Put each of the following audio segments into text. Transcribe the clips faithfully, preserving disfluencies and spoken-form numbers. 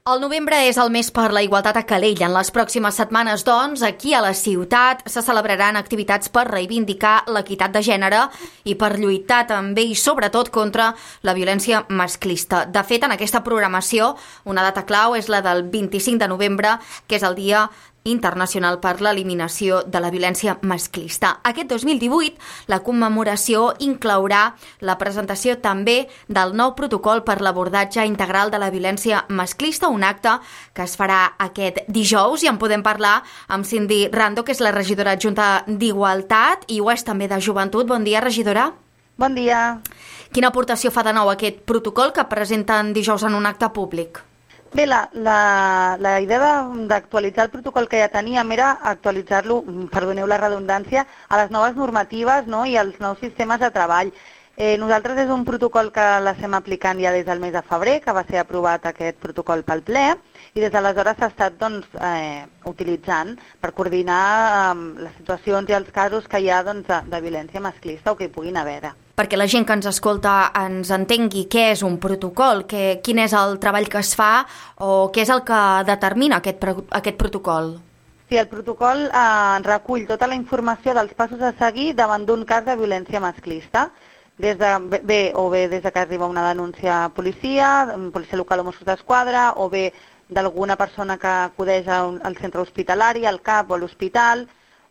El novembre és el mes per la igualtat a Calella. En les pròximes setmanes, doncs, aquí a la ciutat se celebraran activitats per reivindicar l'equitat de gènere i per lluitar també i sobretot contra la violència masclista. De fet, en aquesta programació, una data clau és la del vint-i-cinc de novembre, que és el Dia Internacional per l'Eliminació de la Violència Masclista. Aquest dos mil divuit, la commemoració inclourà la presentació també del nou protocol per l'abordatge integral de la violència masclista, un acte que es farà aquest dijous, i en podem parlar amb Cindy Rando, que és la regidora adjunta d'Igualtat i ho és també de Joventut. Bon dia, regidora. Bon dia. Quina aportació fa de nou aquest protocol que presenten dijous en un acte públic? Bé, la, la, la idea d'actualitzar el protocol que ja teníem era actualitzar-lo, perdoneu la redundància, a les noves normatives, no?, i als nous sistemes de treball. Eh, nosaltres és un protocol que l'estem aplicant ja des del mes de febrer, que va ser aprovat aquest protocol pel ple, i des d'aleshores s'ha estat doncs, eh, utilitzant per coordinar eh, les situacions i els casos que hi ha doncs, de, de violència masclista o que hi puguin haver. Perquè la gent que ens escolta ens entengui què és un protocol, que, quin és el treball que es fa o què és el que determina aquest, aquest protocol. Sí, el protocol eh, recull tota la informació dels passos a seguir davant d'un cas de violència masclista, des de, bé, o bé des de que arriba una denúncia a policia, policia local o Mossos d'Esquadra, o bé d'alguna persona que acudeix al centre hospitalari, al C A P o a l'hospital,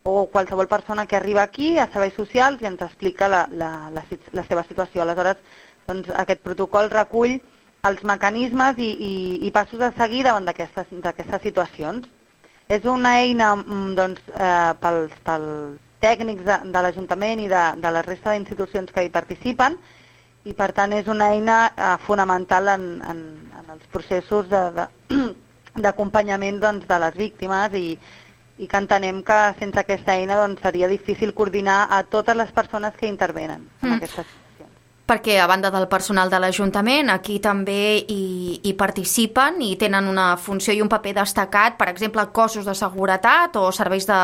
o qualsevol persona que arriba aquí a serveis socials i ens explica la, la, la, la seva situació. Aleshores, doncs, aquest protocol recull els mecanismes i, i, i passos a seguir davant d'aquestes situacions. És una eina doncs, eh, pels, pels tècnics de, de l'Ajuntament i de, de la resta d'institucions que hi participen, i per tant és una eina eh, fonamental en, en, en els processos d'acompanyament doncs, de les víctimes i i que entenem que sense aquesta eina doncs, seria difícil coordinar a totes les persones que intervenen en mm. aquestes situacions. Perquè, a banda del personal de l'Ajuntament, aquí també hi, hi participen i tenen una funció i un paper destacat, per exemple, cossos de seguretat o serveis, de,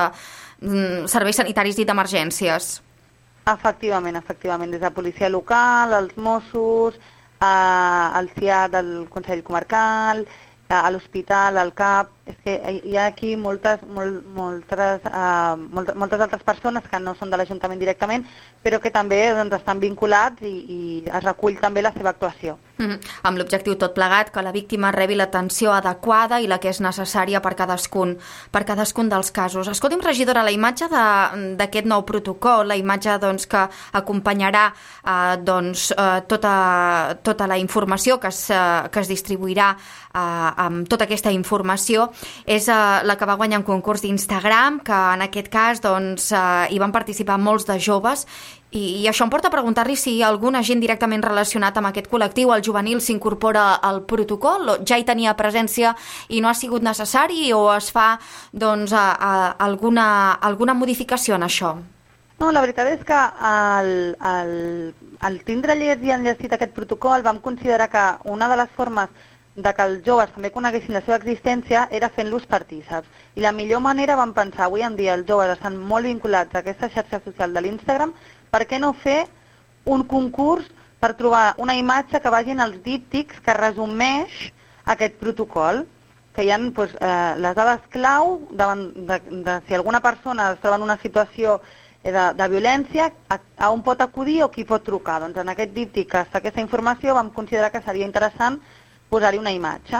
serveis sanitaris i d'emergències. Efectivament, efectivament, des de policia local, els Mossos, eh, el C I A del Consell Comarcal, a l'hospital, al C A P, és que hi ha aquí moltes, molt, moltes, uh, moltes, moltes altres persones que no són de l'Ajuntament directament, però que també doncs, estan vinculats i, i es recull també la seva actuació. Mm-hmm. Amb l'objectiu tot plegat, que la víctima rebi l'atenció adequada i la que és necessària per cadascun, per cadascun dels casos. Escolti'm, regidora, la imatge d'aquest nou protocol, la imatge doncs, que acompanyarà eh, doncs, eh, tota, tota la informació que es, eh, que es distribuirà eh, amb tota aquesta informació, és uh, la que va guanyar un concurs d'Instagram, que en aquest cas doncs, uh, hi van participar molts de joves, i, i això em porta a preguntar-li si algun agent directament relacionat amb aquest col·lectiu, el juvenil, s'incorpora al protocol, o ja hi tenia presència i no ha sigut necessari, o es fa doncs, a, a, alguna, alguna modificació en això? No, la veritat és que al, al, al tindre llest i enllestit aquest protocol vam considerar que una de les formes de que els joves també coneguessin la seva existència era fent-los partíceps. I la millor manera, vam pensar, avui en dia els joves estan molt vinculats a aquesta xarxa social de l'Instagram, per què no fer un concurs per trobar una imatge que vagin als díptics que resumeix aquest protocol, que hi ha doncs, eh, les dades clau davant de, de si alguna persona es troba en una situació de, de violència, a, a on pot acudir o qui pot trucar. Doncs en aquest díptic que està aquesta informació vam considerar que seria interessant posar-hi una imatge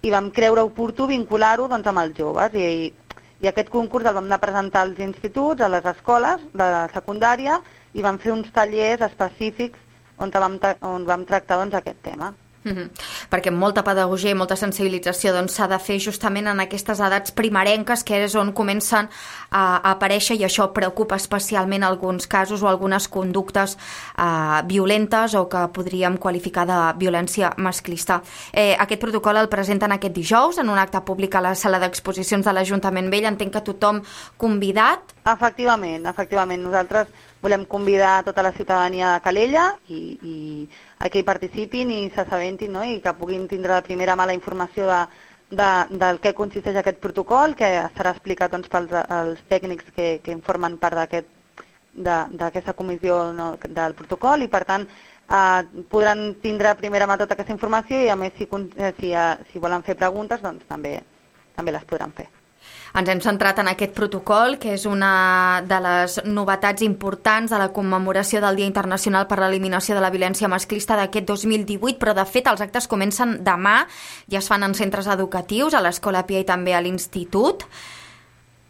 i vam creure oportú vincular-ho doncs, amb els joves i, i aquest concurs el vam anar a presentar als instituts, a les escoles de secundària i vam fer uns tallers específics on vam, on vam tractar doncs, aquest tema. Mm-hmm. Perquè molta pedagogia i molta sensibilització doncs, s'ha de fer justament en aquestes edats primerenques, que és on comencen a, a aparèixer, i això preocupa especialment alguns casos o algunes conductes eh, violentes o que podríem qualificar de violència masclista. Eh, aquest protocol el presenten aquest dijous en un acte públic a la sala d'exposicions de l'Ajuntament Vell. Entenc que tothom convidat? Efectivament, efectivament. Nosaltres volem convidar tota la ciutadania de Calella i, i a que hi participin i s'assabentin, no? I que puguin tindre la primera mà la informació de, de, del que consisteix aquest protocol, que serà explicat doncs, pels els tècnics que, que en formen part d'aquest d'aquesta comissió, no, del protocol, i per tant eh, podran tindre a primera mà tota aquesta informació i a més si, si, si volen fer preguntes doncs també, també les podran fer. Ens hem centrat en aquest protocol, que és una de les novetats importants de la commemoració del Dia Internacional per l'Eliminació de la Violència Masclista d'aquest dos mil divuit, però de fet els actes comencen demà, ja es fan en centres educatius, a l'Escola Pia i també a l'Institut,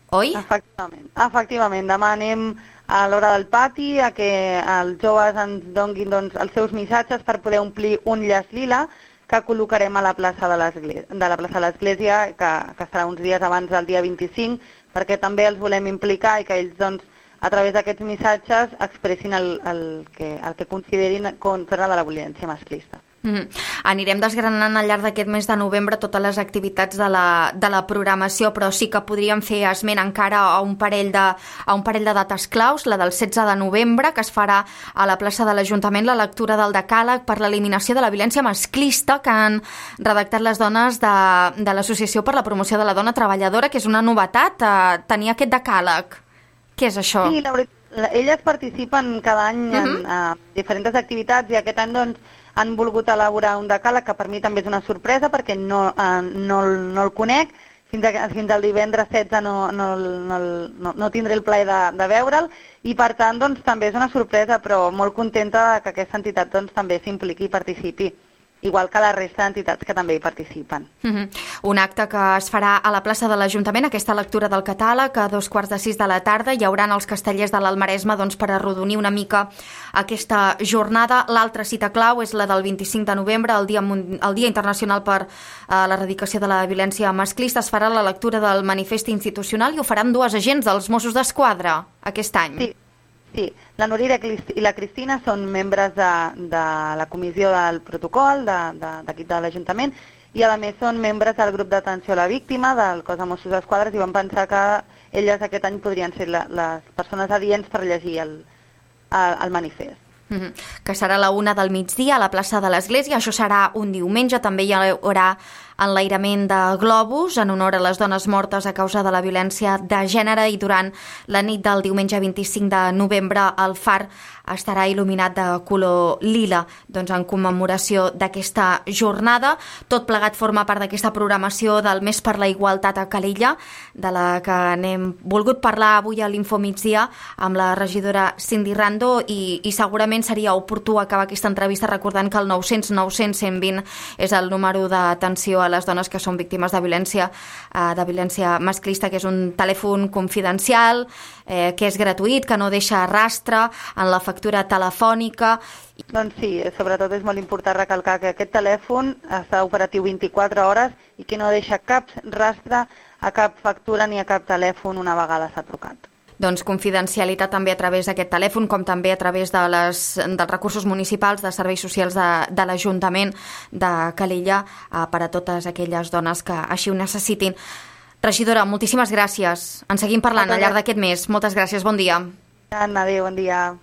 oi? Efectivament, efectivament. Demà anem a l'hora del pati a que els joves ens donguin doncs, els seus missatges per poder omplir un llaç lila que col·locarem a la plaça de l'Església, de la plaça de l'Església, que, que serà uns dies abans del dia vint-i-cinc, perquè també els volem implicar i que ells, doncs, a través d'aquests missatges, expressin el, el, que, el que considerin contra de la violència masclista. Mm-hmm. Anirem desgranant al llarg d'aquest mes de novembre totes les activitats de la, de la programació, però sí que podríem fer esment encara a un parell de, a un parell de dates claus, la del setze de novembre, que es farà a la plaça de l'Ajuntament la lectura del decàleg per l'eliminació de la violència masclista que han redactat les dones de, de l'Associació per la Promoció de la Dona Treballadora, que és una novetat, eh, tenir aquest decàleg. Què és això? Sí, la veritat, elles participen cada any en uh-huh. uh, diferents activitats i aquest any doncs, han volgut elaborar un decàleg que per mi també és una sorpresa perquè no, eh, no, no el conec. Fins, a, fins al divendres setze no, no, no, no, no tindré el plaer de, de veure'l i per tant doncs, també és una sorpresa, però molt contenta que aquesta entitat doncs, també s'impliqui i participi, igual que la resta d'entitats que també hi participen. Mm-hmm. Un acte que es farà a la plaça de l'Ajuntament, aquesta lectura del catàleg, a dos quarts de sis de la tarda. Hi haurà els castellers de l'Almaresme doncs, per arrodonir una mica aquesta jornada. L'altra cita clau és la del vint-i-cinc de novembre, el Dia, el Dia Internacional per eh, l'Erradicació de la Violència Masclista. Es farà la lectura del manifest institucional i ho faran dues agents dels Mossos d'Esquadra aquest any. Sí. Sí, la Núria i la Cristina són membres de, de la comissió del protocol d'aquí de, de, de l'Ajuntament i a més són membres del grup d'atenció a la víctima del cos de Mossos d'Esquadra i van pensar que elles aquest any podrien ser la, les persones adients per llegir el, el, el manifest. Mm-hmm. Que serà la una del migdia a la plaça de l'Església. Això serà un diumenge. També hi haurà enlairament de globus en honor a les dones mortes a causa de la violència de gènere i durant la nit del diumenge vint-i-cinc de novembre el far estarà il·luminat de color lila, doncs en commemoració d'aquesta jornada. Tot plegat forma part d'aquesta programació del Mes per la Igualtat a Calella, de la que n'hem volgut parlar avui a l'Infomigdia amb la regidora Cindy Rando i, i segurament seria oportú acabar aquesta entrevista recordant que el nou cents nou cents cent vint és el número d'atenció a les dones que són víctimes de violència, eh, de violència masclista, que és un telèfon confidencial, eh, que és gratuït, que no deixa rastre en la factura telefònica. Doncs sí, sobretot és molt important recalcar que aquest telèfon està operatiu vint-i-quatre hores i que no deixa cap rastre a cap factura ni a cap telèfon una vegada s'ha trucat. Doncs confidencialitat també a través d'aquest telèfon, com també a través de les, dels recursos municipals, de serveis socials de, de l'Ajuntament de Calella eh, per a totes aquelles dones que així ho necessitin. Regidora, moltíssimes gràcies. En seguim parlant al llarg d'aquest mes. Moltes gràcies, bon dia. Adéu, bon dia.